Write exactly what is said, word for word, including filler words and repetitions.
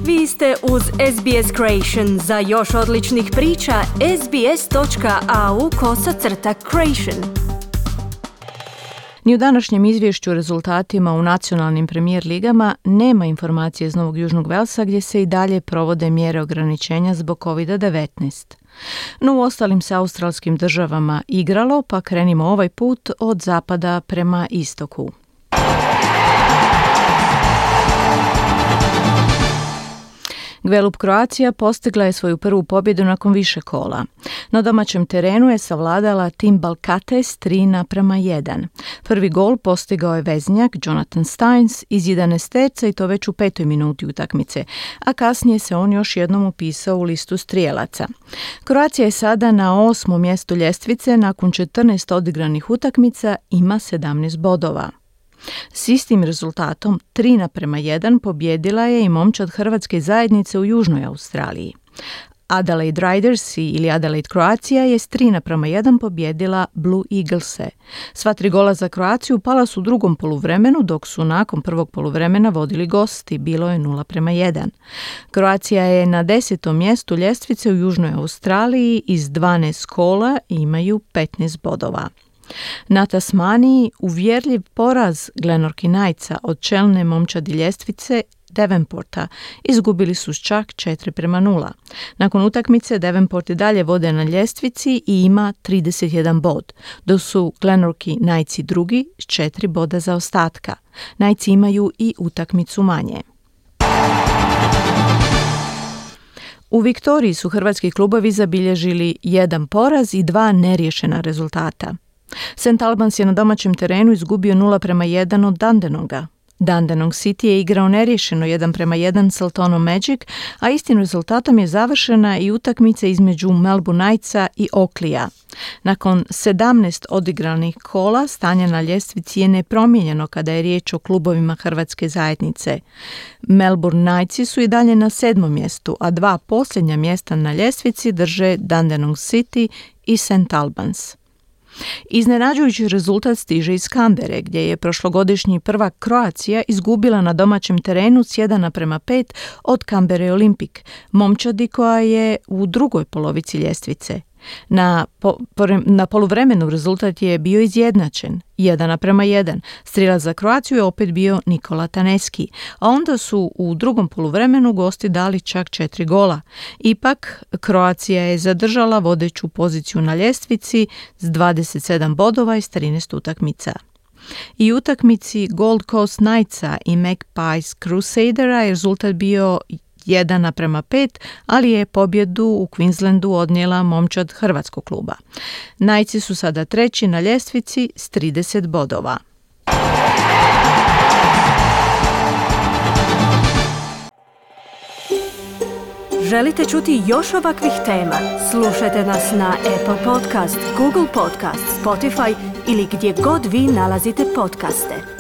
Vi ste uz S B S Creation. Za još odličnih priča, sbs.au kosacrta creation. Ni u današnjem izvješću o rezultatima u nacionalnim premijer ligama nema informacije iz Novog Južnog Velsa gdje se i dalje provode mjere ograničenja zbog kovid devetnaest. No u ostalim se australskim državama igralo, pa krenimo ovaj put od zapada prema istoku. Gvelup Croatia postigla je svoju prvu pobjedu nakon više kola. Na domaćem terenu je savladala tim Balkates tri naprama jedan. Prvi gol postigao je veznjak Jonathan Steins iz jedanaesterca i to već u petoj minuti utakmice, a kasnije se on još jednom upisao u listu strijelaca. Croatia je sada na osmom mjestu ljestvice, nakon četrnaest odigranih utakmica ima sedamnaest bodova. S istim rezultatom tri naprema jedan pobjedila je i momčad hrvatske zajednice u Južnoj Australiji. Adelaide Riders ili Adelaide Croatia je s tri naprema jedan pobjedila Blue Eaglese. Sva tri gola za Kroaciju pala su u drugom poluvremenu, dok su nakon prvog poluvremena vodili gosti, bilo je nula prema jedan. Kroacija je na desetom mjestu ljestvice u Južnoj Australiji iz dvanaest kola i imaju petnaest bodova. Na Tasmaniji uvjerljiv poraz Glenorchy Knightsa od čelne momčadi ljestvice Devonporta izgubili su čak četiri prema nula. Nakon utakmice Devonport i dalje vode na ljestvici i ima trideset jedan bod, dok su Glenorchy Knightsi drugi s četiri boda zaostatka. Knightsi imaju i utakmicu manje. U Viktoriji su hrvatski klubovi zabilježili jedan poraz i dva neriješena rezultata. Saint Albans je na domaćem terenu izgubio nula prema jedan od Dandenonga. Dandenong City je igrao neriješeno jedan prema jedan s Altonom Magic, a istim rezultatom je završena i utakmica između Melbourne Knightsa i Oakleya. Nakon sedamnaest odigranih kola stanje na ljestvici je nepromijenjeno kada je riječ o klubovima hrvatske zajednice. Melbourne Knightsi su i dalje na sedmom mjestu, a dva posljednja mjesta na ljestvici drže Dandenong City i Saint Albans. Iznenađujući rezultat stiže iz Kambere, gdje je prošlogodišnji prvak Croatia izgubila na domaćem terenu s jedan naprema pet od Canberra Olympic, momčadi koja je u drugoj polovici ljestvice. Na, po, na poluvremenu rezultat je bio izjednačen, jedan naprema jedan. Strijelac za Kroaciju je opet bio Nikola Taneski, a onda su u drugom poluvremenu gosti dali čak četiri gola. Ipak, Kroacija je zadržala vodeću poziciju na ljestvici s dvadeset sedam bodova iz trinaest utakmica. I utakmici Gold Coast Knightsa i Magpies Crusadera je rezultat bio jedan naprema pet, ali je pobjedu u Queenslandu odnijela momčad hrvatskog kluba. Knightsi su sada treći na ljestvici s trideset bodova. Želite čuti još ovakvih tema? Slušajte nas na Apple Podcast, Google Podcast, Spotify ili gdje god vi nalazite podcaste.